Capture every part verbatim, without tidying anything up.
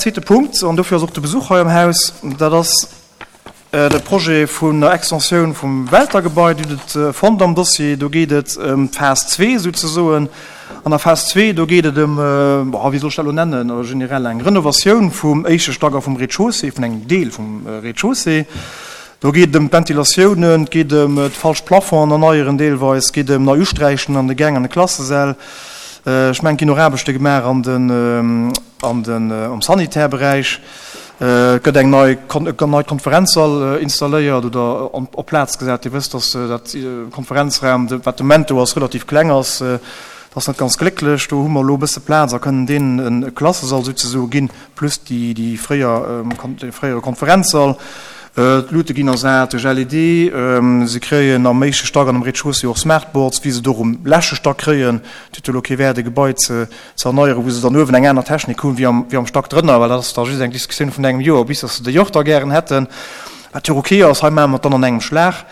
Zweete Punkt, an dofir ass och de Besuch hei am Haus, dat ass de Projet vun der Extensioun vum Welter-Gebai. Dir hutt et fonnt am Dossier. Do geet et ëm d'Phas zwee souzesoen. An der Phas zwee, do geet et ëm, wéi soll ech dat elo nennen, generell eng Renovatioun vum éischte Stack a vum Rez-de-chaussée, vun engem Deel vum Rez-de-chaussée. Do geet et ëm d'Ventilatiounen, et geet ëm d'falsch Plafonds erneieren deelweis, et geet ëm nei Usträichen an de Gäng an de Klassesäll. Ech mengen, et ginn och Aarbechte gemaach an den, an den, am Sanitärberäich. Et gëtt eng nei, en neit Konferenzsall installéiert oder op Plaz gesat. Dir wësst, dass dat Konferenzraum, wat de Moment do ass, relativ kleng ass. Dat ass net ganz glécklech. Do hu mer elo e bësse Plaz a kënnen deenen e Klassesall souzesoe ginn, plus déi, déi fréier, dee fréiere Konferenzsall. D'Luute ginn ersat duerch L E D. Se kréien am éischte Stack an am Rez-de-chaussée och Smartboards, wéi se et och um leschte Stack kréien. Et huet jo elo kee Wäert, e Gebai ze ze erneieren, wou se dann uewen eng aner Technik hunn, wéi am, wéi am Stack drënner, well dat ass da just eng Diskussioun vun engem Joer, bis dass se déi och da gären hätten, wat jo och ok ass. Hei maache mer et dann an engem Schlag.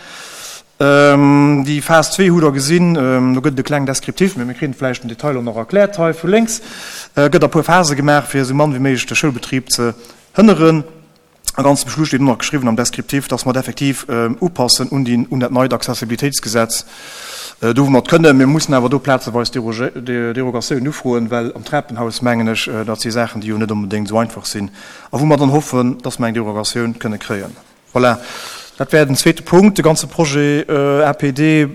Déi Phas zwee hutt Der gesinn, do gëtt et e kleng Descriptif, mee mir kritt et vläicht den Detail och nach erkläert hei vu lénks. Et gëtt a puer Phase gemaach, fir esou mann wéi méiglech de Schoulbetrib ze hënneren. A ganz zum Schluss steet och nach geschriwwen am Descriptif, dass mer et effektiv upassen un déi, un dat neit Accessibilitéitsgesetz, do wou mer et kënnen. Mir mussen awer do plazeweis Derogatiounen ufroen, well am Trapenhaus, mengen ech, dat si Saachen, déi jo net onbedéngt esou einfach sinn a wou mer dann hoffen, dass mer eng Derogatioun kënne kréien. Voilà, dat wär den zweete Punkt. De ganze Projet A P D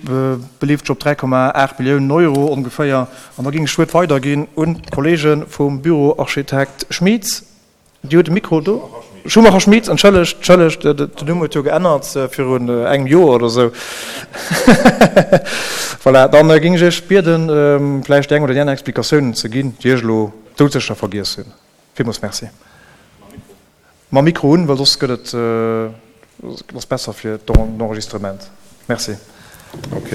beleeft sech op dräi Komma aacht Milliounen Euro ongeféier. An da géing ech d'Wuert weiderginn un d'Kollege vum Büro Architekt Schmieds. Dir hutt de Mikro do. Schumacher Schmieds, entschëllegt, entschëllegt, den Numm huet jo geännert virun engem Joer oder esou. Voilà, dann géing ech Iech bieden, vläicht déi eng oder déi aner Explikatiounen ze ginn, déi ech elo doudsécher vergiess hunn. Villmools Merci. Mam Mikro un, well soss gëtt et, ass besser fir d'Enregistrement. Merci. Ok.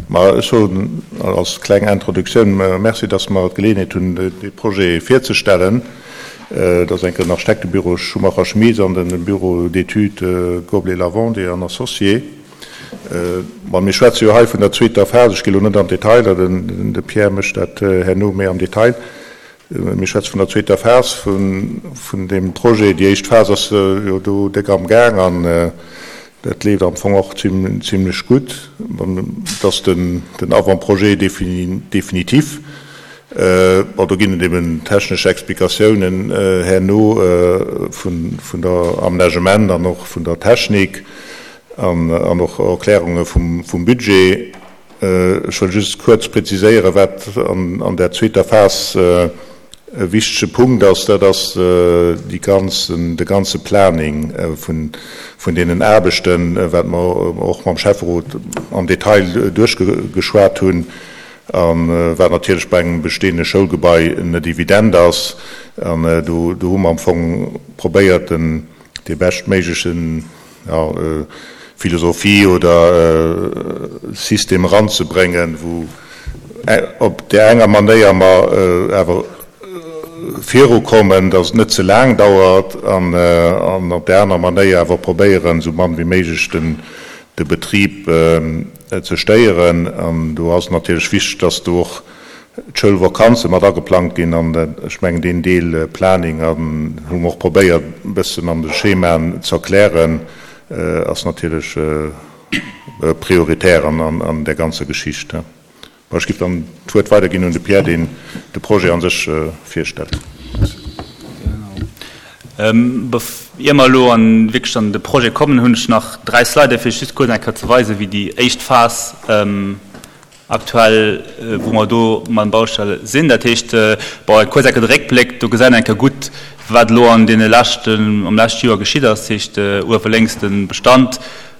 Ma ech soen als kleng Introduktioun Merci, dass mer d'Geleeënheet hunn, dee Projet virzestellen. Dat ass enk den Architektebüro Schumacher Schmieds an de Bureau d'études Goblet Lavandier an Associés. Ma mir schwätze jo hei vun der zweeter Phas. Ech gi lo net an d'Detailer, de Pierre mécht dat herno méi am Detail. Mir schwätze vun der zweeter Phas vun deem Projet. Déi éischt Phas ass jo do déck am Gaang an dat leeft am Fong och zimlech gutt. Et ass den Avant-projet définitif. Bon, do ginn et eben technesch Explikatiounen herno vun der Amenagement an och vun der Technik an och Erklärunge vum Budget. Ech wëll just kuerz preziséieren, wat an där zweeter Phas e wichtege Punkt ass. Dat ass déi ganzen, de ganze Planning vun deenen Aarbechten, wat mer och mam Schäfferot am Detail duerchgeschwat hunn a wat natierlech bei engem bestehende Schoulgebai net evident ass. An do hu mer am Fong probéiert, den dee beschtméiglechen, ja, Philosophie oder System eranzebréngen, wou op där enger Manéier mer awer virukommen, dass et net ze laang dauert, an op där aner Manéier awer probéieren, esou mann wéi méiglech de Betrib ze stéieren. An do ass et natierlech wichteg, dass do och d'Schoulvakanze mat ageplangt ginn. An ech mengen, deen Deel Planning, an hu mer och probéiert e bëssen an de Schemaen ze erklären, ass natierlech prioritär an där ganzer Geschicht. Bon, ech géif dann d'Wuert weiderginn un de Pierre, deen de Projet a sech virstellt. Ier mer elo an wierklech an de Projet kommen, hunn ech nach dräi Sliden, fir just kuerz eng Kéier ze weisen, wéi déi éischt Phas aktuell, wou mer do mam Baustelle sinn. Dat heescht, bon, kuerz eng Kéier de Réckbléck, do gesäit een eng Kéier gutt, wat elo an deene leschten, am leschte Joer geschitt ass. Dat heescht, uewe lénks de Bestand,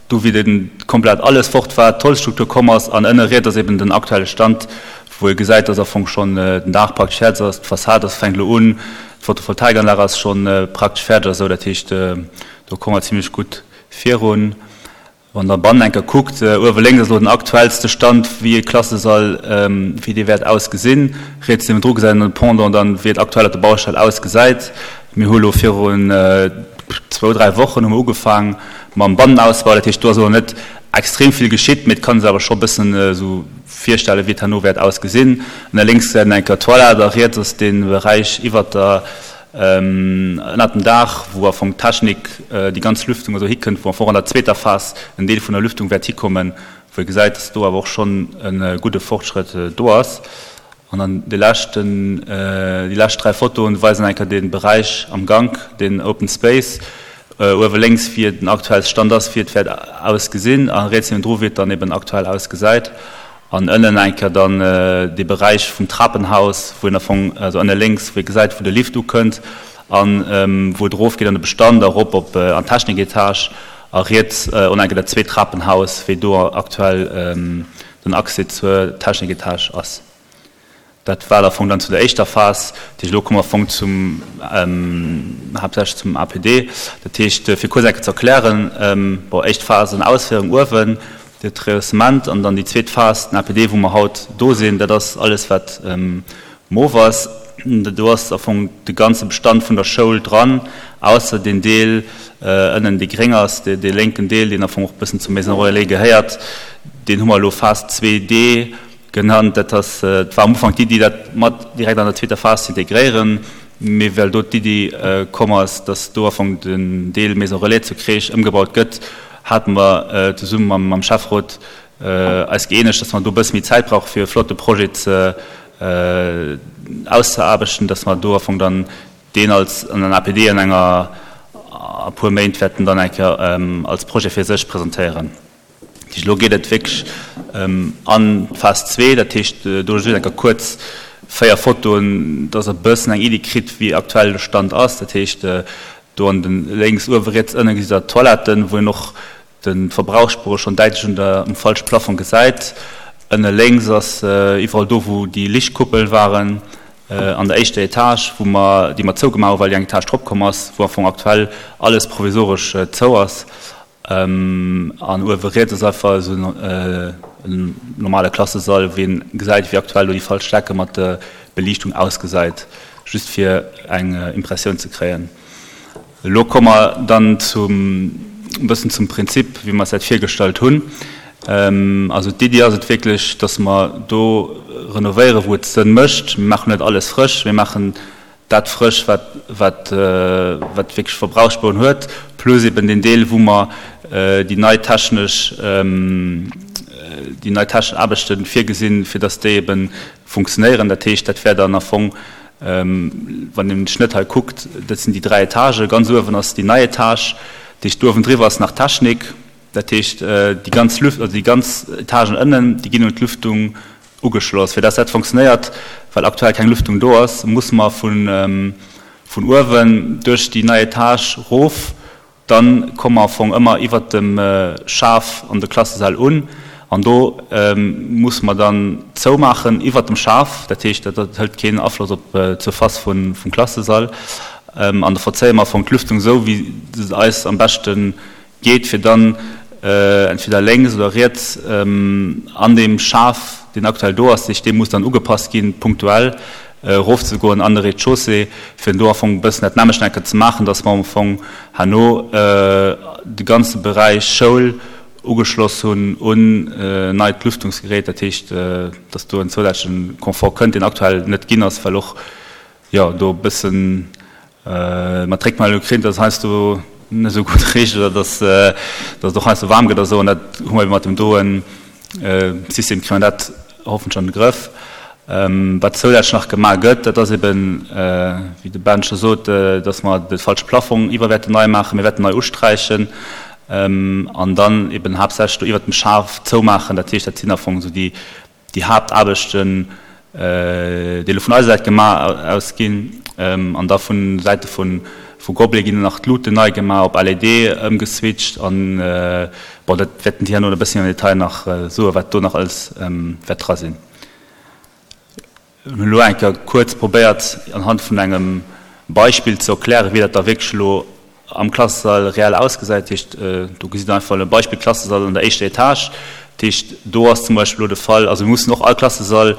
do wéi de komplett alles fort war, d'Holzstruktur komm ass, an ënne riets ass eben den aktuelle Stand, wou ee gesäit, dass am Fong schonn den Daach praktesch fäerdeg ass, d'Fassad ass, fänkt elo un, d'Photovoltaikanlag ass schonn praktesch fäerdeg a sou. Dat heescht, do komme mer zimlech gutt virun. Wann Der bannen eng Kéier kuckt, uewe lénks ass elo den aktuellste Stand, wéi e Klassesall, wéi dee wäert ausgesinn. Riets niewendru gesäit een de Pendant dann, wéi et aktuell op der Baustell ausgesäit. Mir hu elo virun zwou, dräi Wochen hu mer ugefaang mam Bannenausbau. Dat heescht, do ass elo net extrem vill geschitt, mee et kann ee sech awer scho e bëssen esou virstellen, wéi et herno wäert ausgesinn. Ënner lénks gesäit een eng Kéier d'Toilette a riets ass dee Beräich iwwert der ënnert dem Daach, wou am Fong d'Technik, déi ganz Lüftung esou hikënnt, wou am Fong an der zweeter Phas en Deel vun der Lüftung wäert hikommen, wou ee gesäit, dass do awer och schonn e gudde Fortschrëtt do ass. An dann dee leschten, déi lescht dräi Fotoen weisen eng Kéier dee Beräich am Gank, deen Open Space, uewe lénks, wéi den aktuelle Stand ass, wéi et wäert ausgesinn, a riets niewendru, wéi et dann eben aktuell ausgesäit. An ënnen eng Kéier dann dee Beräich vum Trapenhaus, wou een am Fong, also ënne lénks, wou ee gesäit, wou de Lift ukënnt an wou et erofgeet an de Bestand a erop op an d'Techniketage. A riets och eng Kéier dat zweet Trapenhaus, wéi do aktuell den Accès zur Techniketage ass. Dat war am Fong dann zu der éischter Phas. Dat heescht, elo komme mer am Fong zum, haaptsächlech zum A P D. Dat heescht, fir kuerz eng Kéier ze erklären, bon, éischt Phas an Ausféierung uewen, de Rehaussement, an dann déi zweet Phas, den A P D, wou mer haut do sinn, dat ass alles, wat mauve ass. Do ass am Fong de ganze Bestand vun der Schoul dran, ausser deen Deel ënnen, dee gréng ass, dee lénken Deel, deen am Fong och e bëssen zur Maison Relais gehéiert, deen hu mer elo Phas zwee D genannt. Dat ass, et war am Ufank d'Iddi, dat mat direkt an der zweeter Phas ze integréieren, mee well do d'Iddi komm ass, dass do am Fong den Deel Maison Relais zu Kreesch ëmgebaut gëtt, hate mer zesumme mam, mam Schäfferot eis gëeenegt, dass mer do e bësse méi Zäit brauche fir e flotte Projet ze auszeaarbechten, dass mer do am Fong dann deen als an den A P D an enger a puer Méint wäerten dann eng Kéier als Projet fir sech presentéieren. Dat heescht, elo geet et wierklech an d'Phas zwee, dat heescht, do just eng Kéier kuerz véier Fotoen, dass Der e bëssen eng Iddi kritt, wéi aktuell de Stand ass. Dat heescht, do an den lénks uewe, riets ënne gesitt Der d'Toiletten, wou een och de Verbrauchsspuere schonn däitlech un der, um falsche Plafong gesäit. Ënne lénks ass iwwerall do, wou déi Lichtkuppel waren, an der éischter Etage, wou mer, déi mer zougemaach hu well déi eng Etage drop komm ass, wou am Fong aktuell alles provisoresch zou ass. An uewe riets ass einfach esou en normale Klassesall, wou een gesäit, wéi aktuell do déi falsch Decke mat der Beliichtung ausgesäit, just fir eng Impressioun ze kréien. Elo komme mer dann zum, e bëssen zum Prinzip, wéi mer es dat virgestallt hunn. Also d'Iddi ass et wierklech, dass mer do renovéieren, wou et Sënn mécht. Mir maachen net alles frësch, mir maachen dat frësch, wat, wat, wat wierklech Verbrauchsspueren huet, plus eben deen Deel, wou mer déi nei technesch, déi nei technesch Aarbechte virgesinn, fir dass déi eben funktionéieren. Dat heescht, dat wär dann am Fong, wann een den Schnëtt hei kuckt, dat sinn déi dräi Etagen. Ganz uewen ass déi nei Etage, dat heescht, do uewendriwwer ass nach Technik. Dat heescht, déi ganz Lüft, also déi ganz Etagen ënnen, déi ginn un d'Lüftung ugeschloss. Fir dass dat funktionéiert, well aktuell keng Lüftung do ass, muss mer vun vun uewen duerch déi nei Etage rof. Dann komme mer am Fong ëmmer iwwert dem Schaf an de Klassesäll un. An do musse mer dann zoumaachen iwwert dem Schaf. Dat heescht, dat hëlt keen Afloss op d'Surface vum Klassesall. An da verzéie mer am Fong d'Lüftung esou, wéi se eis am beschte geet, fir dann entweder lénks oder riets an deem Schaf, deen aktuell do ass, dee muss dann ugepasst ginn, punktuell erofzegoen an de Rez-de-chaussée, fir do am Fong e bëssen dat nämmlecht enke ze maachen, dass mer am Fong herno de ganze Beräich Schoul ugeschloss hunn un neit Lüftungsgerät, dat heescht, dass do en zousätzlechen Confort kënnt, deen aktuell net ginn ass, well och, jo, do e bëssen mat d'Réckmeldung kritt, dass heiansdo net esou gutt richt oder dass dass et och heiansdo waarm gëtt a sou, an dat hu mer ebe mat dem doen System kritt mer dat hoffentlech an de Grëff. Wat zousätzlech nach gemaach gëtt, dat ass eben, wéi de Ben scho sot, dass mer de falsche Plafong iwwer wäerten nei maachen, mir wäerten nei usträichen an dann eben haaptsächlech do iwwert dem Schaf zoumaachen. Dat heescht, dat sinn am Fong esou déi déi Haaptaarbechten, déi elo vun eiser Säit gemaach ausginn. An da vun Säite vu vu Goblin ginn nach d'Luuten nei gemaach, op L E D ëmgeswitcht an, bon, dat wäerten déi herno e bësschen am Detail nach soen, wat do nach alles wäert dra sinn. Ech hunn elo eng Kéier kuerz probéiert, anhand vun engem Beispill ze erklären, wéi dat da wierklech elo am Klassesall reell ausgesäit. Dat heescht, do gesitt Der einfach e Beispill Klassesall an der éischter Etage. Dat heescht, do ass zum Beispill elo de Fall, also mir mussen och all Klassesall,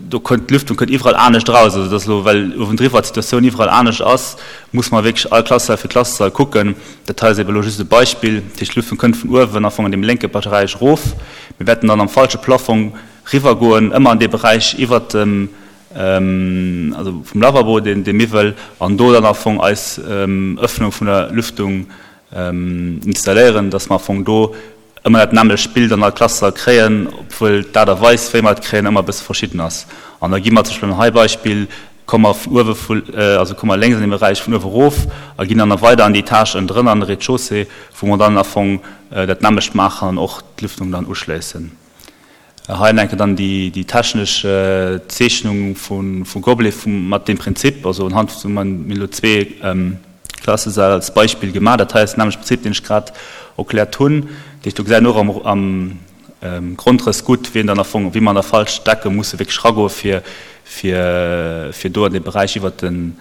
do kënnt d'Lüftung kënnt iwwerall anescht eraus. Also dat ass elo, well uewendriwwer d'Situatioun iwwerall anescht ass, muss mer wierklech all Klassesall fir Klassesall kucken. Dat hei ass ebe elo just e Beispill. Dat heescht, d'Lüftung kënnt vun uewen am Fong an deem lénke Beräich erof. Mir wäerten dann am falsche Plafong riwwergoen, ëmmer an dee Beräich iwwert dem also vum Lavabo, deen, dee Miwwel, an do dann am Fong eis Öffnung vun der Lüftung installéieren, dass mer am Fong do ëmmer dat nämmlecht Bild an all Klassesall kréien, obwuel d'Aart a Weis, wéi mer et kréien, ëmmer e bësse verschidden ass. An da gi mer zum Beispill hei Beispill, komme mer vun uewe vu, also komme mer lénks an deem Beräich vun uewe erof a ginn dann nach weider an déi Etage ënnendrënner an de Rez-de-chaussée, wou mer dann am Fong dat nämmlecht maachen an och d'Lüftung dann uschléissen. Hei enke dann déi, déi technesch Zeechnung vu, vu Gobelet vum, mat deem Prinzip, also unhand vun, mir hunn elo zwee Klassesäll als Beispill gemaach. Dat hei ass den nämmlechte Prinzip, deen ech grad erkläert hunn. Dat heescht, do gesäit een och am, am Grondrëss gutt, wéi een dann am Fong, wéi mer an der Falschdecke musse wierklech eragoe fir, fir, fir do an dee Beräich iwwert de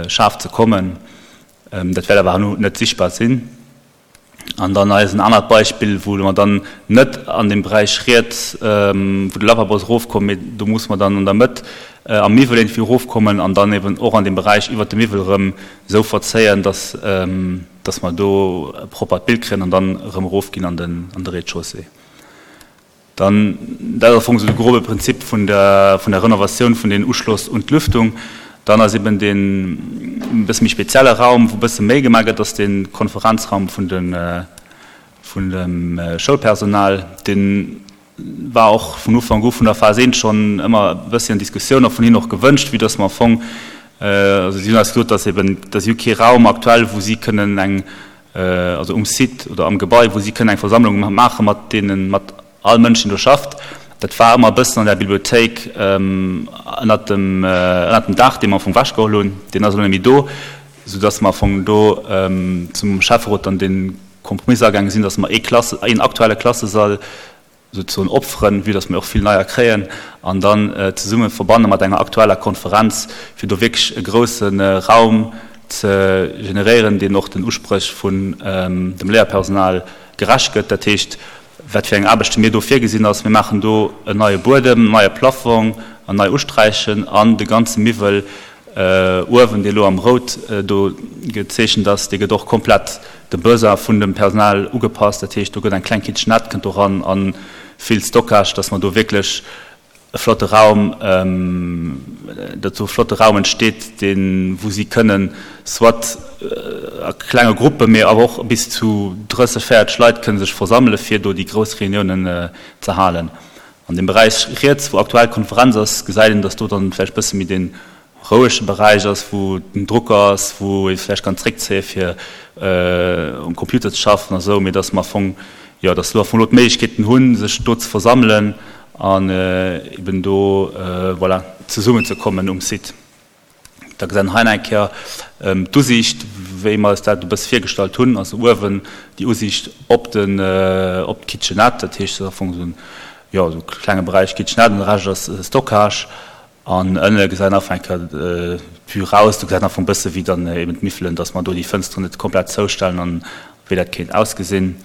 Schaf ze kommen. Dat wäert awer herno net sichtbar sinn. An dann hei ass en anert Beispill, wou mer dann net an deem Beräich riets, wou de Lavabo ass, erofkommen, mee do musse mer dann an der Mëtt am Miwwel iergendwéi erofkommen an dann eben och an deem Beräich iwwert de Miwwel erëm esou verzéien, dass, dass mer do e proppert Bild kréien an dann erëm erofginn an den, an de Rez-de-chaussée. Dann, dat ass am Fong esou de grobe Prinzip vun der, vun der Renovatioun vun den Uschloss un d'Lüftung. Dann ass eben deen e bësse méi spezielle Raum, wou e bësse méi gemaach gëtt, ass de Konferenzraum vun de, vun dem Schoulpersonal. Dee war och vun Ufank u vun der Phas eent schonn ëmmer e bëssi an Diskussioun a vun hinnen och gewënscht, vue dass mer am Fong, also si hunn eis gesot, dass eben, dass si hu kee Raum aktuell, wou si kënnen eng, also um Site oder am Gebai, wou si kënnen eng Versammlung maache mat deenen, mat all Mënsch, deen do schafft. Dat war ëmmer e bëssen an der Bibliothéik ënnert dem, ënnert dem Daach, dee mer am Fong ewechgeholl hunn. Deen ass elo net méi do, soudass mer am Fong do zum Schäfferot dann dee Kompromiss agaange sinn, dass mer ee Klasse, een aktuelle Klassesall souzesoen opferen, vue dass mer och vill neier kréien, an dann zesumme verbanne mat enger aktueller Konferenz, fir do wierklech e grousse Raum ze generéieren, deen och den Uspréch vun dem Léierpersonal gerecht gëtt. Dat heescht, wat fir eng Aarbechte mir do virgesinn ass, mir maachen do en neie Buedem, en neie Plafong an nei Usträichen an de ganze Miwwel uewen, dee elo am Rout do gezeechent ass, dee gëtt och komplett dem Besoin vun dem Personal ugepasst. Dat heescht, do gëtt eng kleng Kitchenette kënnt do ran a vill Stockage, dass mer do wierklech e flotte Raum, datt do e flotte Raum entsteet, deen, wou si kënnen soit a klenge Gruppen, mee awer och bis zu drësseg, véierteg Leit kënne sech versammele fir do déi grouss Reuniounen ze halen. An deem Beräich riets, wou aktuell d'Konferenz ass, gesäit een, datt do dann vläicht e bësse méi dee rouege Beräich ass, wou den Drucker ass, wou ee vläicht kann zréckzéie fir um Computer ze schaffen a sou, mee datt mer am Fong, jo, datt elo am Fong elo d'Méiglechkeeten hunn, sech do ze versammelen an eben do, voilà, zesummenzekommen um Site. Da gesäit een hei nach eng Kéier d'Usiicht, wéi mer eis dat e bësse virgestallt hunn. Also uewen déi Usiicht op den, op d'Kitchenette, dat heescht, dat ass am Fong esou en, jo, esou e klenge Beräich Kitchenette an de Rescht ass Stockage. An ënne gesäit een einfach eng Kéier d'Vue raus. Do gesäit een am Fong e bësse wéi dann eben d'Miffelen, dass mer do déi Fënsteren net komplett zoustellen an wéi dat kéint ausgesinn.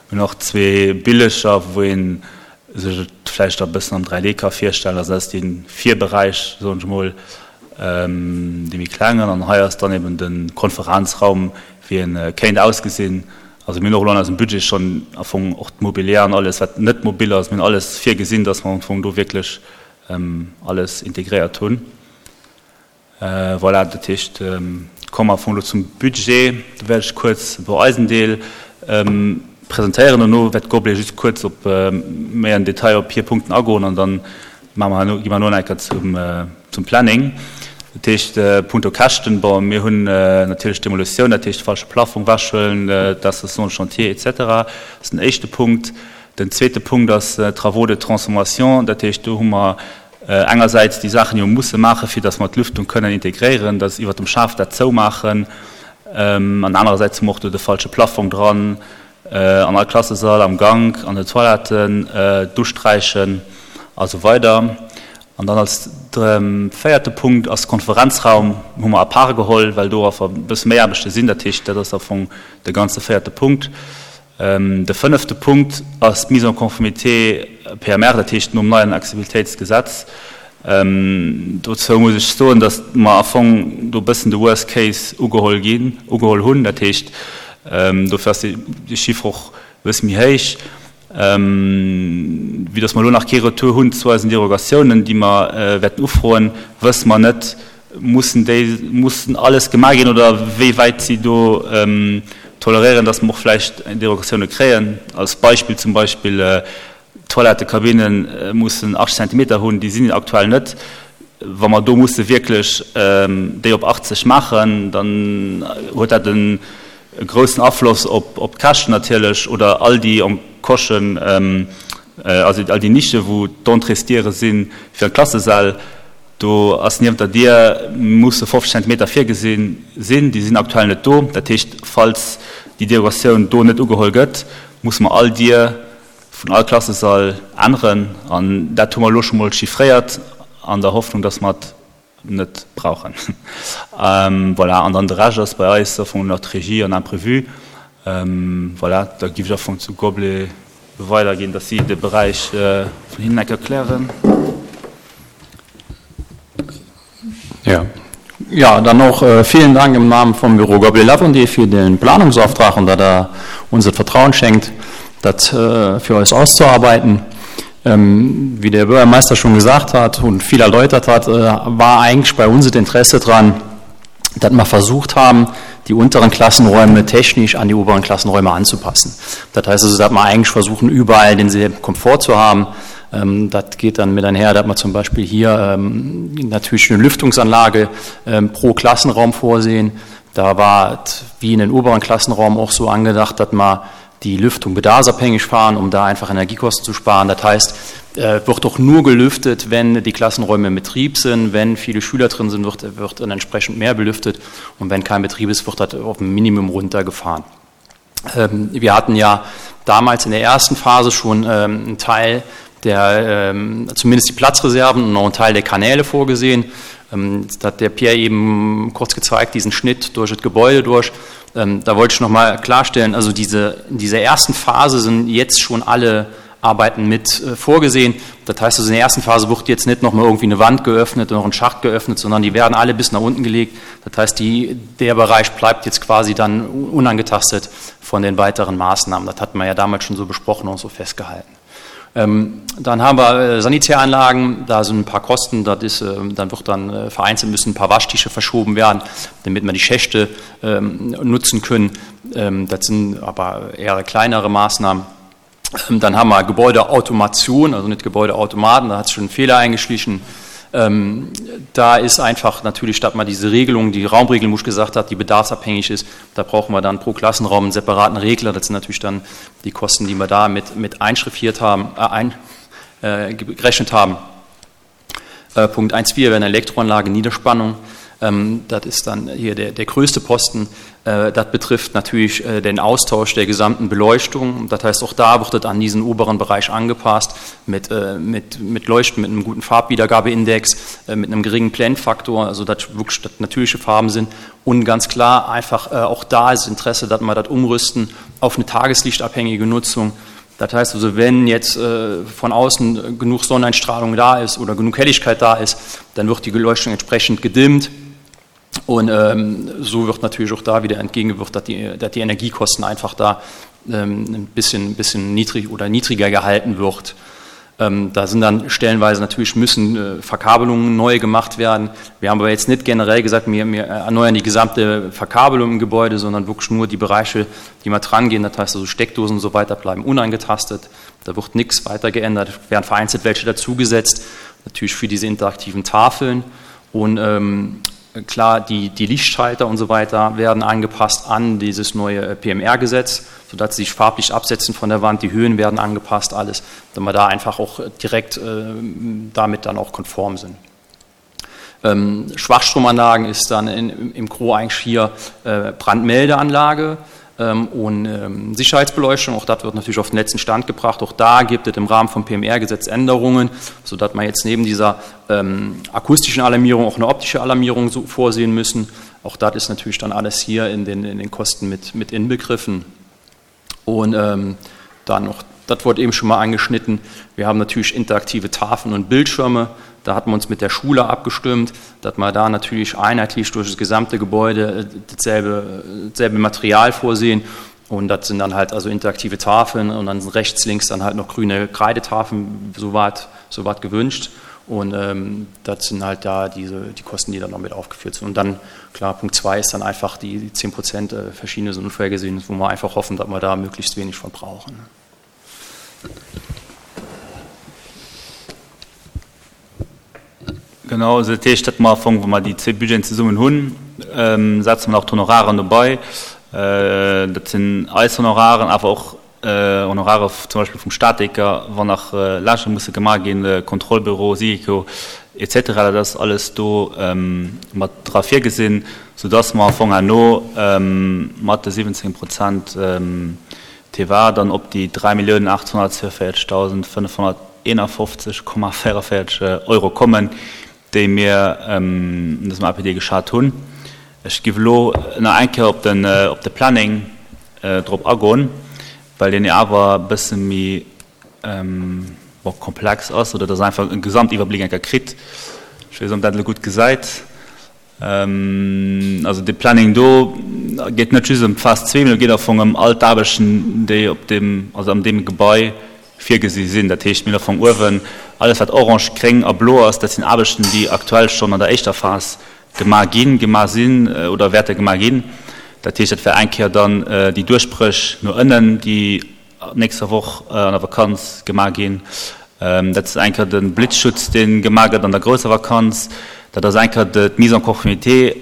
Mir hunn och zwee Billeger, wou ee sech et vläicht da e bëssen am dräi D ka virstellen. Also dat ass dee Virberäich, soen ech emol, dee méi klengen. An hei ass dann eben de Konferenzraum, wéi e kéint ausgesinn. Also mir hunn och elo an eisem Budget schonn am Fong och d'Mobiliar an alles, wat net mobil ass, mir hunn alles virgesinn, dass mer am Fong do wierklech alles integréiert hunn. Voilà, dat heescht, komme mer am Fong elo zum Budget. Do wäert ech kuerz e puer eisen Deel presentéieren. Dono wäert d'Goblé just kuerz op méi an Detail op hir Punkten agoen an dann maache mer herno, gi mer herno nach eng Kéier zum, zum Planning. Dat heescht, punkto Käschten, bon, mir hunn natierlech d'Demolutioun, dat heescht falsche Plafong wechhuelen, d'Installation de chantier et cetera. Dat ass den éischte Punkt. Den zweete Punkt ass Travaux de transformation. Dat heescht, do hu mer engersäits déi Saachen, déi mer musse maachen, fir datt mer d'Lüftung kënnen integréieren, datt iwwert dem Schaf dat zoumaachen. An anerersäits hu mer och do de falsche Plafong dran an all Klassesall, am Gank, an den Toiletten, d'Usträichen a sou weider. An dann als véierte Punkt ass de Konferenzraum, hu mer à part geholl, well do einfach e bësse méi Aarbechte sinn. Dat heescht, dat ass am Fong de ganze véierte Punkt. De fënnefte Punkt ass d'Mise en conformité P M R, dat heescht nom neien Accessibilitéitsgesetz. Dozou muss ech soen, datt mer am Fong do e bëssen de Worst case ugeholl ginn, ugeholl hunn. Dat heescht, dofir ass dee Chiffre och e bësse méi héich. Vue dass mer elo nach kee Retour hunn zu eisen Derogatiounen, déi mer wäerten ufroen, wësse mer net, mussen déi, mussen alles gemaach ginn oder wéi wäit si do toleréieren, dass mer och vläicht Derogatioune kréien. Als Beispill zum Beispill, Toilettekabinne mussen achtzeg Zentimeter hunn, déi sinn aktuell net. Wa mer do musse wierklech déi op achtzeg maachen, dann huet dat e groussen Afloss op d'Käschten natierlech oder all déi Encochen, also all déi Nische wou d'Entréesdiere si fir an d'Klassesäll, do ass niewent der Dier musse fofzeg Zentimeter virgesi sinn, déi sinn aktuell net do. Dat heescht, falls déi Derogatioun do net ugeholl gëtt, musse mer all Dier vun all Klassesall änneren an dat hu mer elo scho mol chiffréiert an der Hoffnung, dass mer et net brauchen. Voilà, an dann de Rescht ass bei eis am Fong nach d'Regie an Imprévu. Voilà, da giff ech am Fong zu Gobelet weiderginn, dass si de Beräich vun hinnen enk erklären. Ja. Ja, dann auch äh, vielen Dank im Namen vom Büro Gobelet Lavendier für den Planungsauftrag und dass er uns das Vertrauen schenkt, das äh, für uns auszuarbeiten. Ähm, wie der Bürgermeister schon gesagt hat und viel erläutert hat, äh, war eigentlich bei uns das Interesse dran, dass wir versucht haben, die unteren Klassenräume technisch an die oberen Klassenräume anzupassen. Das heißt also, dass wir eigentlich versuchen, überall denselben Komfort zu haben. Ähm, das geht dann mit einher, dass wir zum Beispiel hier ähm, natürlich eine Lüftungsanlage ähm, pro Klassenraum vorsehen. Da war es wie in den oberen Klassenraum auch so angedacht, dass man die Lüftung bedarfsabhängig fahren, um da einfach Energiekosten zu sparen. Das heißt, äh, wird auch nur gelüftet, wenn die Klassenräume im Betrieb sind. Wenn viele Schüler drin sind, wird, wird dann entsprechend mehr belüftet. Und wenn kein Betrieb ist, wird das auf ein Minimum runtergefahren. Ähm, wir hatten ja damals in der ersten Phase schon ähm, einen Teil der, ähm, zumindest die Platzreserven und noch einen Teil der Kanäle vorgesehen. Ähm, das hat der Pierre eben kurz gezeigt, diesen Schnitt durch das Gebäude durch. Ähm, da wollte ich nochmal klarstellen, also diese, in dieser ersten Phase sind jetzt schon alle Arbeiten mit äh, vorgesehen. Das heißt also, in der ersten Phase wird jetzt nicht nochmal irgendwie eine Wand geöffnet oder noch ein Schacht geöffnet, sondern die werden alle bis nach unten gelegt. Das heißt, die, der Bereich bleibt jetzt quasi dann unangetastet von den weiteren Maßnahmen. Das hat man ja damals schon so besprochen und so festgehalten. Ähm, dann haben wir äh, Sanitäranlagen, da sind ein paar Kosten, das ist, äh, dann wird dann äh, vereinzelt müssen ein paar Waschtische verschoben werden, damit wir die Schächte ähm, nutzen können. Ähm, das sind aber eher kleinere Maßnahmen. Ähm, dann haben wir Gebäudeautomation, also nicht Gebäudeautomaten, da hat sich schon ein Fehler eingeschlichen. Ähm, da ist einfach natürlich, statt man diese Regelung, die Raumregelung, wo ich gesagt habe, die bedarfsabhängig ist, da brauchen wir dann pro Klassenraum einen separaten Regler. Das sind natürlich dann die Kosten, die wir da mit, mit einschriffiert haben, äh, ein, äh, gerechnet haben. Äh, Punkt eins Komma vier wäre eine Elektroanlage, Niederspannung. Ähm, das ist dann hier der, der größte Posten. Äh, das betrifft natürlich, äh, den Austausch der gesamten Beleuchtung. Das heißt, auch da wird das an diesen oberen Bereich angepasst mit, äh, mit, mit Leuchten, mit einem guten Farbwiedergabeindex, äh, mit einem geringen Blendfaktor, also dass wirklich das natürliche Farben sind. Und ganz klar, einfach, äh, auch da ist Interesse, dass wir das umrüsten auf eine tageslichtabhängige Nutzung. Das heißt also, wenn jetzt, äh, von außen genug Sonneneinstrahlung da ist oder genug Helligkeit da ist, dann wird die Beleuchtung entsprechend gedimmt. Und, ähm, so wird natürlich auch da wieder entgegengewirkt, dass die, dass die Energiekosten einfach da, ähm, ein bisschen, bisschen niedrig oder niedriger gehalten wird. Ähm, da sind dann stellenweise natürlich müssen, äh, Verkabelungen neu gemacht werden. Wir haben aber jetzt nicht generell gesagt, wir, wir erneuern die gesamte Verkabelung im Gebäude, sondern wirklich nur die Bereiche, die mal dran gehen. Das heißt also Steckdosen und so weiter bleiben unangetastet. Da wird nichts weiter geändert. Es werden vereinzelt welche dazugesetzt, natürlich für diese interaktiven Tafeln. Und, ähm, klar, die, die Lichtschalter und so weiter werden angepasst an dieses neue P M R-Gesetz, sodass sie sich farblich absetzen von der Wand, die Höhen werden angepasst, alles, damit wir da einfach auch direkt, äh, damit dann auch konform sind. Ähm, Schwachstromanlagen ist dann in, im Gro eigentlich hier, äh, Brandmeldeanlage, ähm, und, ähm, Sicherheitsbeleuchtung, auch das wird natürlich auf den letzten Stand gebracht. Auch da gibt es im Rahmen vom P M R-Gesetz Änderungen, sodass man jetzt neben dieser, ähm, akustischen Alarmierung auch eine optische Alarmierung so vorsehen müssen. Auch das ist natürlich dann alles hier in den, in den Kosten mit, mit inbegriffen. Und, ähm, dann noch, das wurde eben schon mal angeschnitten, wir haben natürlich interaktive Tafeln und Bildschirme. Da hatten wir uns mit der Schule abgestimmt, dass wir da natürlich einheitlich durch das gesamte Gebäude, äh, dasselbe, dasselbe Material vorsehen. Und das sind dann halt also interaktive Tafeln und dann sind rechts, links dann halt noch grüne Kreidetafeln, soweit, soweit gewünscht. Und ähm, das sind halt da diese, die Kosten, die dann noch mit aufgeführt sind. Und dann, klar, Punkt zwei ist dann einfach die, die zehn Prozent, äh, verschiedene sind unvorhergesehen, wo wir einfach hoffen, dass wir da möglichst wenig von brauchen. Genau, also dat heescht, dat mer am Fong, wa mer déi zwee Budgeten zesummen hunn, ähm, setze mer nach d'Honoraren dobei. Äh, dat sinn eis Honoraren, awer och, äh, Honorare zum Beispill vum Statiker, wann nach, äh, Lächer musse gemaach ginn, äh, Kontrollbüro, Sigeco et cetera. Dat ass alles do, ähm, mat dra virgesinn, sodass mer am Fong herno, ähm, mat de siwwenzéng Prozent, ähm, T V A dann op déi dräi Milliounen achthunnertzweiundvierzigtausend fënnefhonnerteenafofzeg Komma véierundvéierzeg Euro kommen, déi mir, ähm, in dësem A P D geschat hunn. Ech giff elo nach eng Kéier op den, äh, op de Planning, äh, drop agoen, well deen jo awer e bësse méi, ähm, bon, komplex ass, oder dass einfach en Gesamtiwwerbléck eng Kéier kritt. Ech weess net, ob dat elo gutt gesäit. Ähm, also de Planning do geet net just ëm d'Phas zwee, mee do geet am Fong ëm all d'Aarbechten, déi op dem, also an deem Gebai virgesi sinn. Dat heescht, mir hunn am Fong uewen alles, wat orange, gréng a blo ass, dat sinn Aarbechten, déi aktuell schonn an der éischter Phas gemaach ginn, gemaach sinn, äh, oder wäerte gemaach ginn. Dat heescht, dat wär eng Kéier dann, äh, déi Duerchbréch no ënnen, déi nächster Woch, äh, an der Vakanz gemaach ginn. Ähm, dat ass eng Kéier den Blitzschutz, deen gemaach gëtt an der grousser Vakanz. Dat ass eng Kéier de, d'Mise en conformité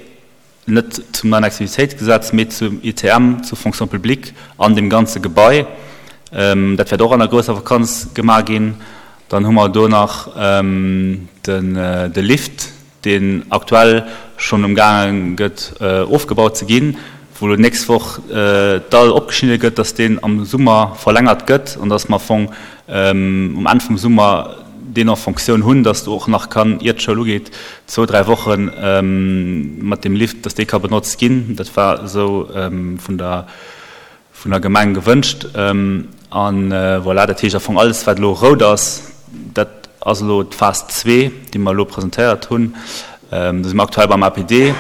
net zum neien Accessibilitéitsgesetz, mee zum I T M, zur Fonction publique an dem ganze Gebai. Ähm, dat wäert och an der grousser Vakanz gemaach ginn. Dann hu mer do nach, ähm, den, äh, de Lift, deen aktuell schon umgaange gëtt, äh, ofgebaut ze ginn, wou lo nächst Woch, äh, d'Dall opgeschnidde gëtt, dass deen am Summer verlängert gëtt an dass mer Fong, ähm, um Enn vum Summer deen en Fonctioun hunn, dass du och nach kann, ier d'Schoul ugeet, zwou, dräi Wochen, ähm, mat dem Lift, dass dee ka benotzt ginn. Dat war sou, ähm, vun der, vun der Gemeng gewënscht. Ähm, an, äh, voilà, dat heescht am Fong alles, wat lo rout ass, dat ass lo d'Phas zwee, déi mer lo presentéiert hunn. Ähm, do si mer aktuell beim A P D.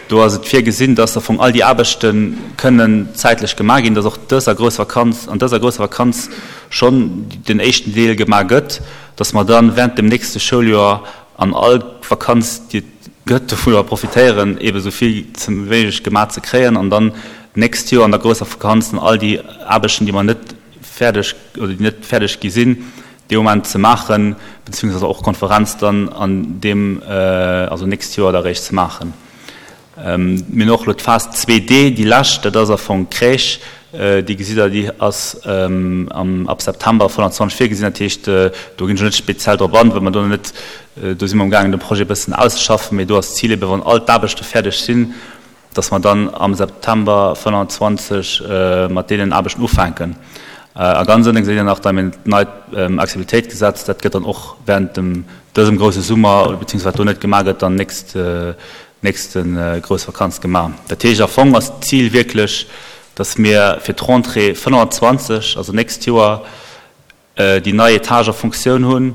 Do ass et virgesinn, dass am Fong all déi Aarbechte kënnen zäitlech gemaach ginn, dass och dëser grousser Vakanz, an dëser grousser Vakanz schon den éischten Deel gemaach gëtt, dass mer dann während dem nächsten Schouljoer an all Vakanz, déi et gëtt, dovunner profitéieren, eben so vill zum wéineg gemaach ze kréien an dann nächst Joer an der grousser Vakanz dann all déi Aarbechten, déi mer net fäerdeg oder déi net fäerdeg gi sinn, dee Moment ze maachen, beziehungsweise och Konferenz dann an dem, äh, also nächst Joer da réischt ze maachen. Ähm, mir hunn och lo d'Phas zwee D, déi lescht, dat ass a Fong Crèche, äh, déi gesitt der, déi ass, ähm, am, ab September fënnfundzwanzeg virgesinn, dat heescht, äh, do ginn ech net speziell drop an, well mer do net, äh, do si mer am Gaangen, de Projet e bëssen auszeschaffen, mee do ass d'Zil eben, wann all d'Aarbechte fäerdeg sinn, dass mer dann am September fënnfundzwanzeg, äh, mat deenen Aarbechten ufänken. Äh, a ganz ënne geséit Dir nach da mir d'neit, ähm, Accessibilitéitsgesetz, dat gëtt dann och während dem, dësem grouse Summer, oder beziehungsweise do net gemaach gëtt, dann nächst, äh, nächsten, äh, grouss Vakanz gemaach. Dat heescht, am Fong ass d'Zil wierklech, dass mir fir d'Rentrée fënnfundzwanzeg, also nächst Joer, äh, déi nei Etage a Funktioun hunn,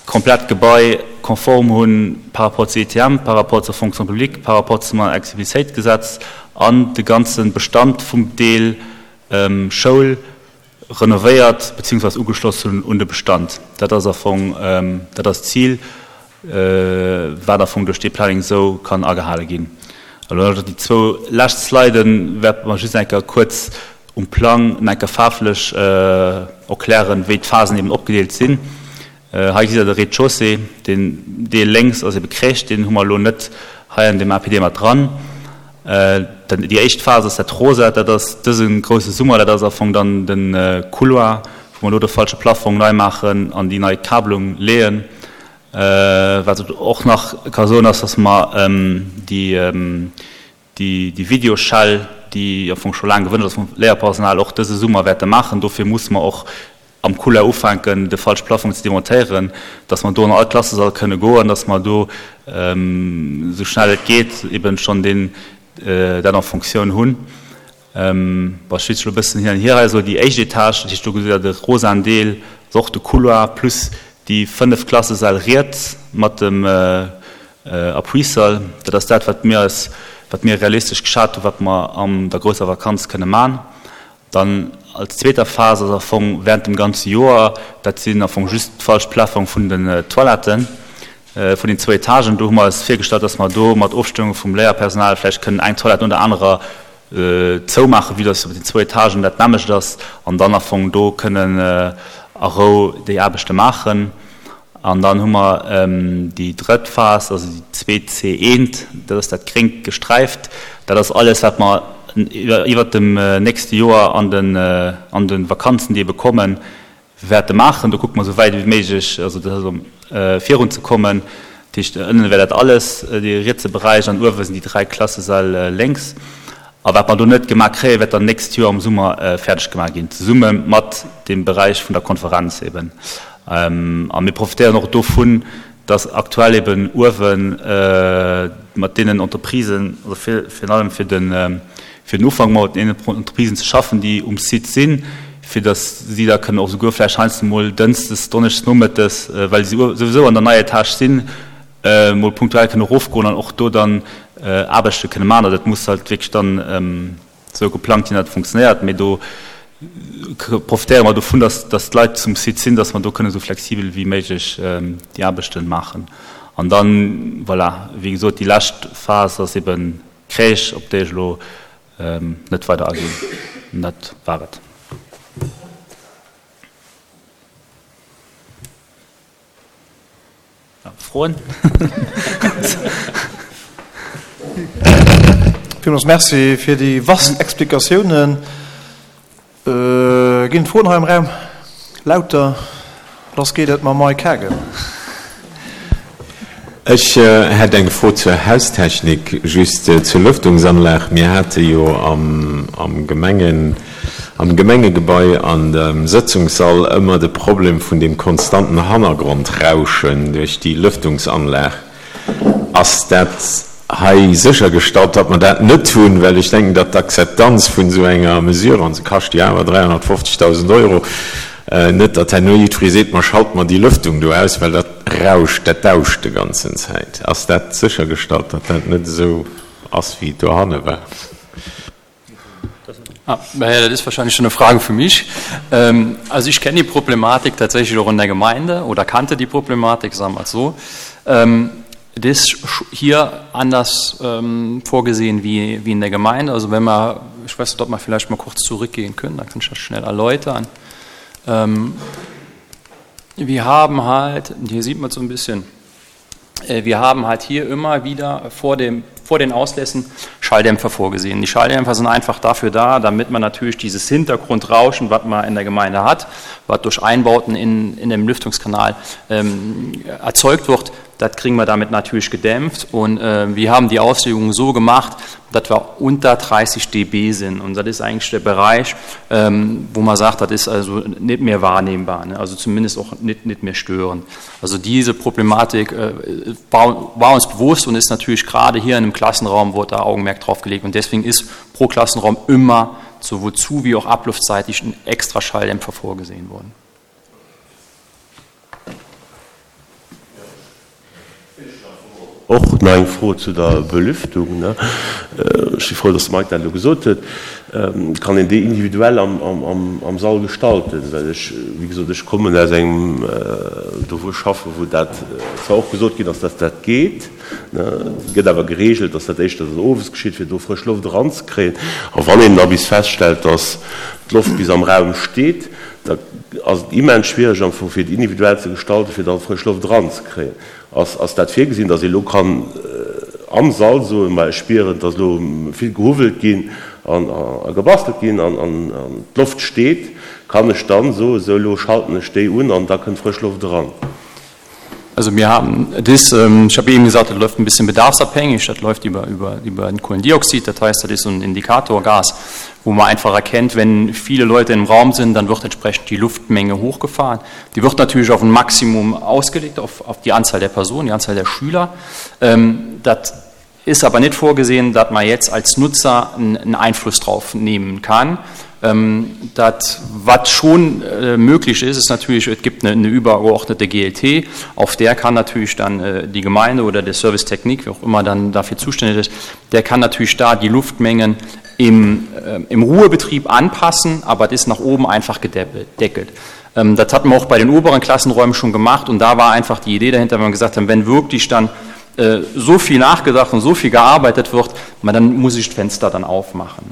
komplett Gebai konform hunn par rapport zu I T M, par rapport zur Fonction publique, par rapport zum Accessibilitéitsgesetz an de ganzen Bestand vum Deel, ähm, Schoul renovéiert beziehungsweise ugeschloss hunn un de Bestand. Dat ass am Fong, ähm, dat ass d'Zil, äh, wat am Fong duerch dee Planning sou kann agehale ginn. Also déi zwou lescht Sliden wäerte mer just eng Kéier kuerz um Plang eng Kéier faarflech, äh, erklären, wéi d'Phasen eben opgedeelt sinn. Äh, hei gesitt der de Rez-de-chaussée, den Deel lénks ass eben Crèche, den hu mer lo net hei an dem A P D mat dran. Äh, dann déi éischt Phas ass dat Rosa, dat ass dësen grouse Summer, dat ass am Fong dann den, äh, Couloir, wou mer lo de falsche Plafong nei maachen an déi nei Kabelung leeën. Äh, wat et och nach ka soen ass, dass mer, ähm, déi, ähm, déi, déi Videoschell, déi am Fong scho laang gewënscht ass vum Léierpersonal, och dëse Summer wäerte maachen. Dofir muss mer och am Couloir ufänken, de falsche Plafong ze demontéieren, dass mer do an all Klassesall kënne goen, dass mer do, ähm, so schnell et geet eben schon den, äh, dat en Funktioun hunn. Ähm, was schwitzt schon ein bisschen hin und her, also die éischt Etage, dat heescht, do gesitt der de rosaen Deel, also och de Couloir plus déi fënnef Klassesäll riets mat dem, äh, äh, Appuisall. Dat ass dat, wat mir als, wat mir realistesch geschat hunn, wat mer an der grousser Vakanz kënne maachen. Dann als zweeter Phas ass am Fong während dem ganze Joer, dat sinn am Fong just d'falsch Plafong vun den Toiletten vun den zwou Etagen. Do hu mer eis virgestallt, dass mer do mat Ofstëmmung vum Léierpersonal vläicht kënnen eng Toilette no der anerer zoumaachen, vue dass op den zwou Etagen dat nämmlecht ass, an dann am Fong do kënnen a Rou déi Aarbechte maachen. An dann hu mer déi drëtt Phas, also déi zwee C eent, dat ass dat gréngt gesträift. Dat ass alles, wat mer iwwert dem nächste Joer an den an de Vakanzen, déi ebe kommen, wäerte maachen. Do kucke mer esou wäit ewéi méiglech, also dat ass elo virunzekommen. Dat heescht, ënnen wär dat alles, dee rietse Beräich, an uewe sinn déi dräi Klassesäll lénks. A wat mer do net gemaach kréien, wäert dann d'nächst Joer am Summer fäerdeg gemaach ginn, zesumme mat deem Beräich vun der Konferenz eben. A mir profitéieren och dovun, dass aktuell eben uewe mat deenen Entreprisen, also virun allem fir den fir den Ufank mat deenen Entreprisen ze schaffen, déi um Site sinn, fir dass si da kënnen och souguer vläicht heiansdo mol dënschdes, donneschdes nomëttes, well si souwisou an der neier Etage sinn, mol punktuell kënne erofgoen an och do dann Aarbechte kënne maachen. Dat muss halt wierklech dann esou geplangt ginn, datt et funktionéiert. Mee do profitéiere mer dovun, datt datt d'Leit zum Site sinn, datt mer do kënne esou flexibel wéi méiglech déi Aarbechte maachen. An dann, voilà, wéi gesot, déi lescht Phas ass ebe Crèche, op déi ech elo net weider aginn. An dat war et. Froen? Villmools Merci fir déi vast Explikatiounen. Ginn et Froen hei am Raum? Lauter, lass geet et mam Mike Haagen. Ech hätt eng Fro zur Haustechnik, just zur Lëftungsanlag. Mir hate jo am Gemengen, am Gemengegebai an dem Sëtzungssall ëmmer de Problem vun deem konstanten Hannergrondrauschen duerch déi Lëftungsanlag. Ass dat hei séchergestallt, datt mer dat net hunn? Well ech denken, datt d'Akzeptanz vun esou enger Mesure, an se kascht jo awer dräihonnertfofzegdausend Euro, net datt herno jiddweree seet, ma schalt mer déi Lëftung do aus, well dat rauscht, dat dauscht de ganzen Zäit. Ass dat séchergestallt, datt dat net esou ass, wéi et dohanne war? Ah, naja, das ist wahrscheinlich schon eine Frage für mich. Ähm, also ich kenne die Problematik tatsächlich auch in der Gemeinde oder kannte die Problematik, sagen wir mal so. Ähm, das ist hier anders ähm, vorgesehen wie, wie in der Gemeinde. Also wenn wir, ich weiß nicht, ob wir vielleicht mal kurz zurückgehen können, dann kann ich das schnell erläutern. Ähm, wir haben halt, hier sieht man so ein bisschen, äh, wir haben halt hier immer wieder vor dem vor den Auslässen Schalldämpfer vorgesehen. Die Schalldämpfer sind einfach dafür da, damit man natürlich dieses Hintergrundrauschen, was man in der Gemeinde hat, was durch Einbauten in, in dem Lüftungskanal ähm, erzeugt wird, das kriegen wir damit natürlich gedämpft. Und äh, wir haben die Auslegung so gemacht, dass wir unter dreißig Dezibel sind. Und das ist eigentlich der Bereich, ähm, wo man sagt, das ist also nicht mehr wahrnehmbar, ne? Also zumindest auch nicht, nicht mehr störend. Also diese Problematik, äh, war, war uns bewusst und ist natürlich gerade hier in einem Klassenraum, wurde da Augenmerk drauf gelegt. Und deswegen ist pro Klassenraum immer sowohl zu- wie auch abluftseitig ein extra Schalldämpfer vorgesehen worden. Och nach eng Fro zu der Belüftung. Ech si frou, dass de Mike dat elo gesot huet. Kann een déi individuell am Sall gestalten? Well ech, wéi gesot, ech kommen aus engem, do wou ech schaffen, wou dat zwar och gesot ginn ass, dass dat geet, et gëtt awer geregelt, dass dat éischter dann owes geschitt, fir do frësch Loft eranzekréien. A wann een da bis feststellt, dass d'Loft bis am Raum steet, da ass et immens schwiereg am Fong, fir et individuell ze gestalten, fir da frësch Loft eranzekréien. Ass, ass dat virgesinn, dass ee elo kann am Sall soen, ma ech spieren, dass elo vill gehuwwelt ginn an a gebastelt ginn an, an, an d'Loft steet, kann ech dann soen, sou elo schalten ech déi un an da kënnt frësch Loft eran? Also mir haben das, ich habe eben gesagt, das läuft ein bisschen bedarfsabhängig, das läuft über, über, über den Kohlendioxid, das heißt, das ist so ein Indikatorgas, wo man einfach erkennt, wenn viele Leute im Raum sind, dann wird entsprechend die Luftmenge hochgefahren. Die wird natürlich auf ein Maximum ausgelegt, auf, auf die Anzahl der Personen, die Anzahl der Schüler. Ähm, das ist aber nicht vorgesehen, dass man jetzt als Nutzer einen, einen Einfluss drauf nehmen kann. Ähm, das, was schon, äh, möglich ist, ist natürlich, es gibt eine, eine übergeordnete G L T, auf der kann natürlich dann, äh, die Gemeinde oder der Service Technik, wer auch immer dann dafür zuständig ist, der kann natürlich da die Luftmengen im, äh, im Ruhebetrieb anpassen, aber es ist nach oben einfach gedeckelt. Ähm, das hatten wir auch bei den oberen Klassenräumen schon gemacht und da war einfach die Idee dahinter, wenn wir gesagt haben, wenn wirklich dann äh, so viel nachgedacht und so viel gearbeitet wird, man, dann muss ich das Fenster dann aufmachen.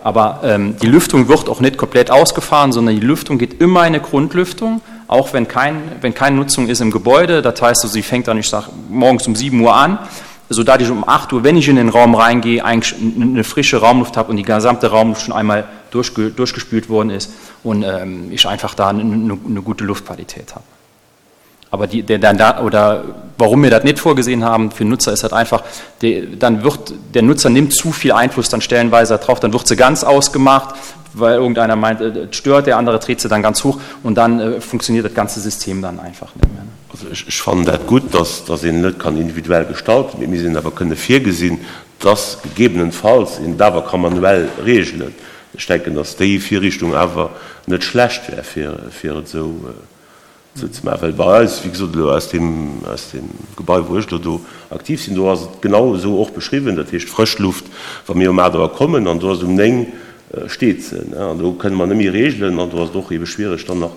Aber ähm, die Lüftung wird auch nicht komplett ausgefahren, sondern die Lüftung geht immer in eine Grundlüftung, auch wenn, kein, wenn keine Nutzung ist im Gebäude. Das heißt, also, sie fängt dann, ich sag, morgens um sieben Uhr an, sodass ich um acht Uhr, wenn ich in den Raum reingehe, eigentlich eine frische Raumluft habe und die gesamte Raumluft schon einmal durchge durchgespült worden ist und ähm, ich einfach da eine, eine gute Luftqualität habe. Aber die, der, der, da, oder warum wir das nicht vorgesehen haben für Nutzer ist halt einfach, der, dann wird, der Nutzer nimmt zu viel Einfluss dann stellenweise drauf, dann wird sie ganz ausgemacht, weil irgendeiner meint, äh, das stört, der andere dreht sie dann ganz hoch und dann äh, funktioniert das ganze System dann einfach nicht mehr. Also ech, ech fannen dat gutt, dass, dass een net kann individuell gestalten, mee mir sinn awer kënne virgesinn, dass gegebenenfalls een et awer ka manuell regelen. Ech denken, dass déi Virrichtung awer net schlecht wär, fir, fir et esou esou ze maachen. Well bei eis, wéi gesot, elo aus deem, aus deem Gebai, wou ech elo do aktiv sinn, do ass et genau esou och beschriwwen, dat heescht Frëschluft, wa mir um aacht Auer kommen an do ass et um néng, steet se, ne, an do kënne mer net méi regelen an do ass et och ebe schwierig dann nach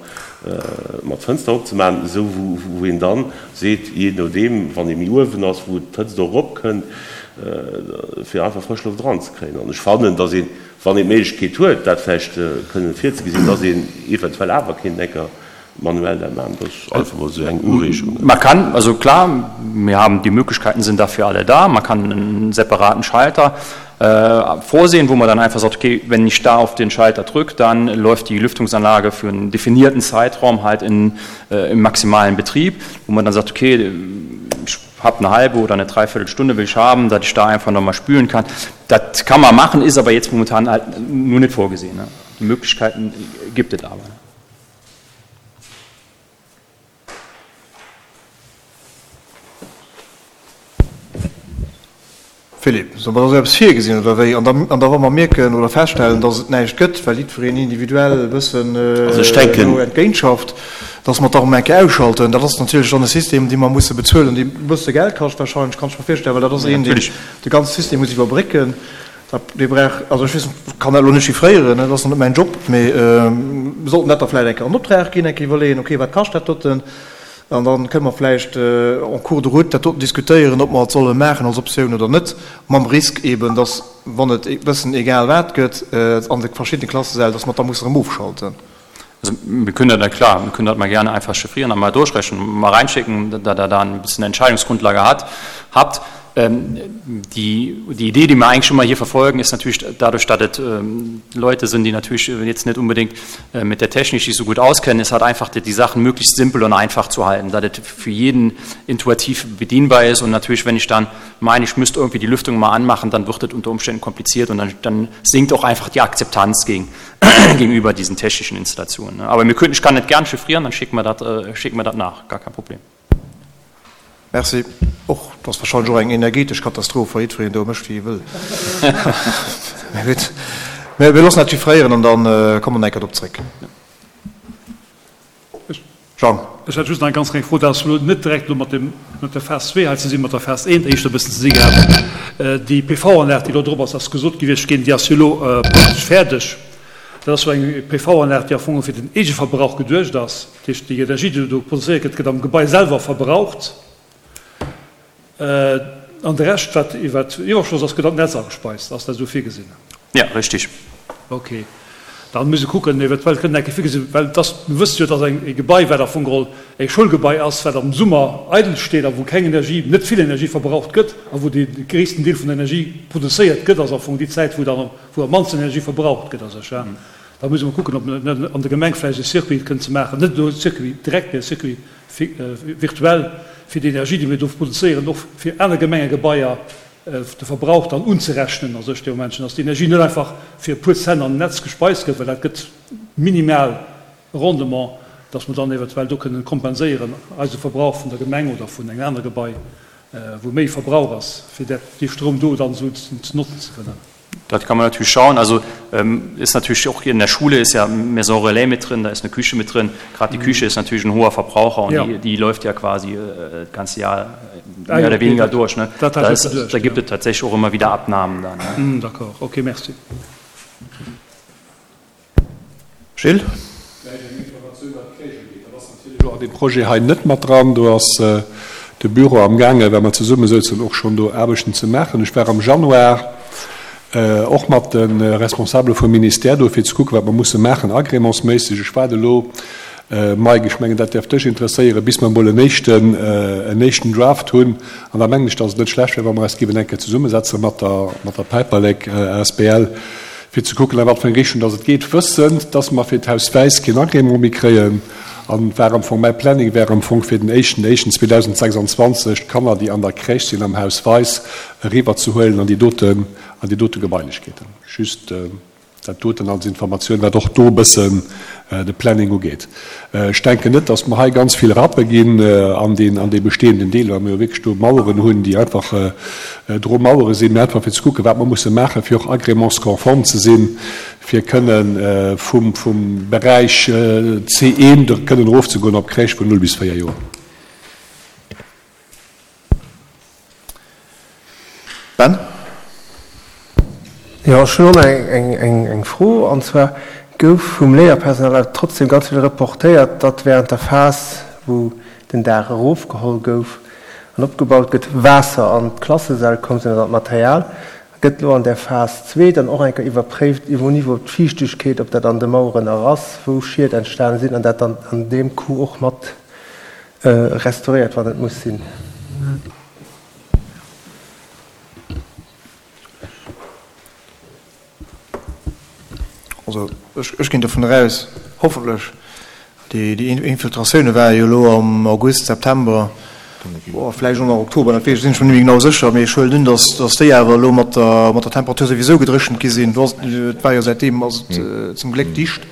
mat Fënster opzemaachen, esou wou, wou een dann seet, jee nodeem, wann ee méi uewen ass, wou d'Hëtzt och eropkënnt, fir einfach frësch Loft eranzekréien. An ech fannen, dass een, wann een d'Méiglechkeet huet, dat vläicht kënnen virzegesinn, dass een eventuell awer kéint eng Kéier manuell dat maachen. Dat ass einfach mol esou eng Ureegung. Man kann, also klar, wir haben, die Möglichkeiten sind dafür alle da, man kann einen separaten Schalter äh, vorsehen, wo man dann einfach sagt, okay, wenn ich da auf den Schalter drücke, dann läuft die Lüftungsanlage für einen definierten Zeitraum halt in, äh, im maximalen Betrieb, wo man dann sagt, okay, ich habe eine halbe oder eine Dreiviertelstunde will ich haben, dass ich da einfach nochmal spülen kann. Das kann man machen, ist aber jetzt momentan halt nur nicht vorgesehen. Ne? Die Möglichkeiten gibt es aber. Philippe, soll mer da sou eppes virgesinn oder wéi? An da, an da wa mer mierken oder feststellen, dass et näischt gëtt, well jiddwereen individuell e bëssen Also ech denken. do entgéintschafft, dass mer d'Arm eng Kéier ausschalten. Dat ass natierlech dann e System, dee mer musse bezuelen, dee e bësse Geld kascht wahrscheinlech, kann ech mer virstellen, well dat ass een, deen de ganze System muss iwwerbrécken. Dat, dee brauch, also ech weess, kann dat elo net chiffréieren, dat ass net mäin Job, mee mir sollten dat da vläicht eng Kéier an Optrag ginn, eng Kéier iwwerleeën, okay, wat kascht dat doten? An dann kënne mer vläicht en cours de route dat doten diskutéieren, ob mer et solle maachen als Optioun oder net, mam Risk eeben, dass, wann et e bëssen egal wat gëtt an de verschiddene Klassesäll, dass mer et da musse erëm ofschalten. Also wir können dat, klar, wir können dat mal gerne einfach chiffrieren an mal durchrechnen, mal reinschicken, da der da ein bisschen Entscheidungsgrundlage hat, habt. Ähm, die, die Idee, die wir eigentlich schon mal hier verfolgen, ist natürlich dadurch, dass es ähm, Leute sind, die natürlich jetzt nicht unbedingt äh, mit der Technik sich so gut auskennen, ist halt einfach, die, die Sachen möglichst simpel und einfach zu halten, dass es für jeden intuitiv bedienbar ist und natürlich, wenn ich dann meine, ich müsste irgendwie die Lüftung mal anmachen, dann wird das unter Umständen kompliziert und dann, dann sinkt auch einfach die Akzeptanz gegen, gegenüber diesen technischen Installationen. Aber wir könnten, ich kann nicht gern chiffrieren, dann schicken wir das, äh, schicken wir das nach, gar kein Problem. Merci. Och, dat ass wahrscheinlech och eng energetesch Katastroph, wa jiddwereen do mécht, wéi e wëll. Mä gutt, mir loossen dat chiffréieren an da komme mer nach eng Kéier drop zréck. Jean. Ech hätt just nach eng ganz kleng Fro, dat ass elo net direkt elo mat dem, mat der Phas zwee hei ze sinn, mat der Phas eent éischter e bëssen ze si gehat. Déi P V-Anlag, déi elo drop ass, ass gesot gewiescht ginn, déi ass jo elo praktesch fäerdeg. Dat ass jo eng P V-Anlag, déi am Fong fir den Eegeverbrauch geduecht ass. Dat heescht, déi Energie, déi do produzéiert gëtt, gëtt am Gebai selwer verbraucht. An de Rescht, wat iwwer Iwwerschoss ass, gëtt an d'Netz agespeist. Ass dat esou virgesinn? Ja, richtig. Okay. Da muss ee kucken, eventuell kënnt eng Kéier virgesinn, well et ass, mir wësse jo, dass eng e Gebai, wat am Fong geholl e Schoulgebai ass, wat am Summer eidel steet a wou keng Energie, net vill Energie verbraucht gëtt a wou dee gréissten Deel vun der Energie produzéiert gëtt, ass am Fong déi Zäit, wou dann, wou am mannsten Energie verbraucht gëtt a sech. Da muss ee mol kucken, ob net an der Gemeng vläicht e Circuit kënnt ze maachen, net elo e Circuit direkt, mee e Circuit virtuell, fir déi Energie, déi mir do produzéieren, och fir aner Gemengegebaier de Verbrauch dann unzerechnen a sech dee Momentchen, dass déi Energie net einfach fir e puer Cent an d'Netz gespeist gëtt, well dat gëtt minimal Rendement, dass mer dann eventuell do kënnen kompenséieren eise Verbrauch vun der Gemeng oder vun engem anere Gebai, wou méi Verbrauch ass, fir dat dee Stroum do dann esou ze notzen ze kënnen. Das kann man natürlich schauen. Also ähm, ist natürlich auch in der Schule ist ja Maison Relais mit drin, da ist eine Küche mit drin. Gerade die mhm. Küche ist natürlich ein hoher Verbraucher und ja. die, die läuft ja quasi äh, das ganze Jahr äh, mehr ah, oder weniger okay, durch. Ne? Da, ist, da gibt es tatsächlich auch immer wieder Abnahmen dann. Ne? Mm, d'accord, okay, merci. Gilles? An deem Projet hei net mat dran. Do ass de Büro amgaangen, well mer zesummesouzen, och schonn do Aarbechten ze maachen. Ech war am Januar och mat de Responsabele vum Ministère do, fir ze kucken, wat mer musse maachen agrémentsméisseg. Ech waarde elo, Mike, ech mengen, dat däerf dech interesséieren, bis mer emol en éischten, en éischten Draft hunn. An da mengen ech, dass et net schlecht wär, wa mer eis géiwen eng Kéier zesummesetze mat der, mat der Päiperlek asbl, fir ze kucken, a wat fir eng Richtung dass et geet, wëssend, dass mer fir d'Haus Wäiss keen Agrément méi kréien. An et war am Fong, mäi Planning wär am Fong fir den éischten éischten zweedausendsechsundzwanzeg d'Kanner, déi an der Crèche sinn am Haus Weis, eriwwerzehuelen an déi doten, an déi dote Gebailechkeeten. Just dat doten als Informatioun, wat och do e bëssen de Planning ugeet. Ech denken net, dass mer hei ganz vill Rappe ginn an deen, an dee bestehenden Deel, well mer jo wierklech do Maueren hunn, déi einfach Dromauere sinn, mee einfach fir ze kucken, wat mer musse maachen, fir och agrémentskonform ze sinn, fir kënne vum Beräich C eent kënnen erofzegoen op Crèche vun null bis véier Joer. Ben? Jo, ech hunn och nach eng Fro, an zwar gouf vum Léierpersonal awer trotzdem ganz vill reportéiert, datt während der Phas, wou den Daach erofgeholl gouf an opgebaut gëtt, Waasser an d'Klassesäll komm sinn oder an d'Material. Gëtt elo an där Phas zwee dann och eng Kéier iwwerpréift iwwer Niveau d'Fiichtegkeet, ob dat an de Maueren erass, wou Schied entstane sinn an dat dann an deem Coup och mat restauréiert, wann et muss sinn? Also ech ginn dovun eraus, hoffentlech, déi Infiltratioune ware jo elo am August, September, vläicht och nach Oktober, dat weess ech, sinn ech mer net méi genau sécher, mee ech huelen un, datt déi awer elo mat der Temperatur souwisou gedréchent gi sinn. Et war jo säitdeem ass et zum Gléck dicht,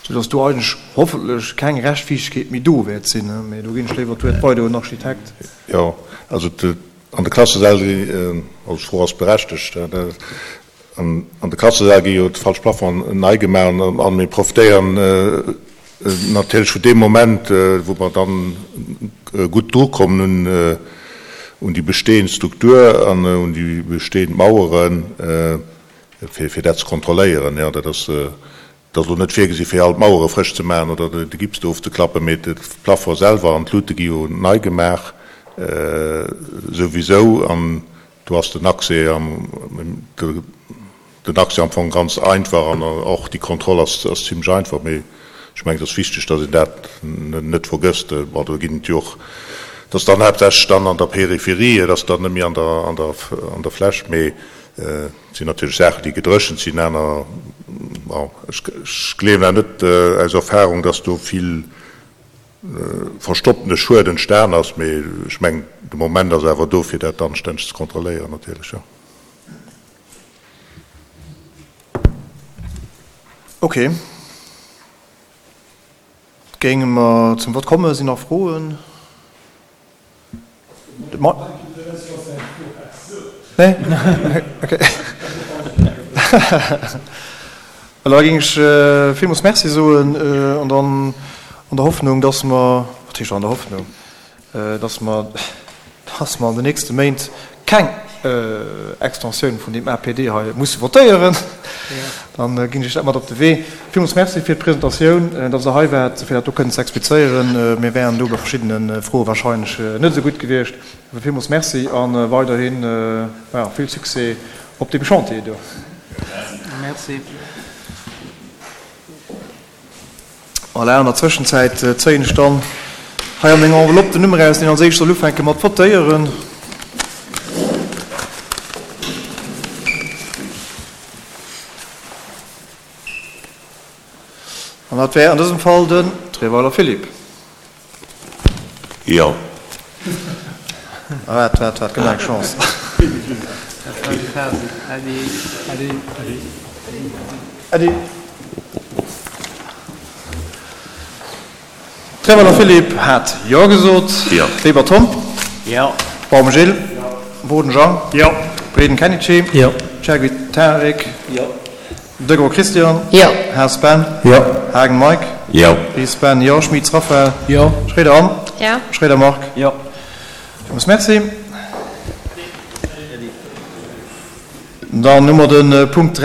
soudatt do eigentlech hoffentlech keng Reschtfiichtegkeet méi do wäert sinn. Mee do ginn ech léiwer d'Wuert weider un den Architekt. Jo, also an de Klassesäll, also d'Fro ass berechtegt, An de Klassesäll gi jo d'falsch Plafongen nei gemaach an mir profitéieren natierlech vun deem Moment, wou mer dann gutt drukommen un déi bestehend Struktur an un déi bestehend Maueren, fir dat ze kontrolléieren. Jo, dat ass elo net virgesi fir all d'Mauere frësch ze maachen oder de Gips do ofzeklappen, mee de Plafond selwer an d'Luute gi jo nei gemaach souwisou. An Do ass den Accès am, den Accès am Fong ganz einfach an och déi Kontroll ass, ass zimlech einfach. Mee ech mengen, et ass wichteg, datt een dat net vergësst. Bon, do ginn et jo och, et ass dann haaptsächlech dann an der Périphérie, et ass dann net méi an der, an der, an der Fläch. Mee et sinn natierlech Saachen, déi gedréchent sinn, aner, bon, ech, ech gleewen awer net aus Erfahrung, datt do vill verstoppene Schued entstan ass, mee ech mengen, de Moment ass awer do, fir dat anstänneg ze kontrolléieren natierlech, jo. Ok. Géinge mer zum Vott kommen? Sinn nach Froen? Nee? Ok. Voilà, da géing ech villmools Merci soen an dann an der Hoffnung, dass mer, wat heescht an der Hoffnung, dass mer, dass mer an den nächste Méint keng Extensioun vun deem A P D hei musse votéieren, dann ginn ech dat mat op de Wee. Villmools Merci fir d'Presentatioun, dass Der hei waart, fir dat do kënnen ze explizéieren. Mir wären do bei verschiddene Froe wahrscheinlech net esou gutt gewiescht. Awer villmools Merci a weiderhi vill Succès op deem Chantier do. Merci. Voilà, an der Zwëschenzäit zéien ech dann hei an menger Enveloppe den Numm eraus, deen als éischt soll ufänke mat votéieren. An dat wär an dësem Fall den Treweiler Philippe. Jo. Waart, waart, waart, gëtt nach eng Chance. Äddi. Treweiler Philippe hat Jo gesot. Jo. Weber Tom. Jo. Baum Gilles. Boden Jean. Jo. Breden Kenichi. Jo. Chergui Tarik. Jo. Degros Christian. Jo. Haas Ben. Jo. Haagen Mike. Jo. Ries Ben, jo. Schmitz Raphaël. Jo. Schroeder Anne. Ja. Schroeder Marc. Jo. Villmools Merci. Dann hu mer de Punkt dräi.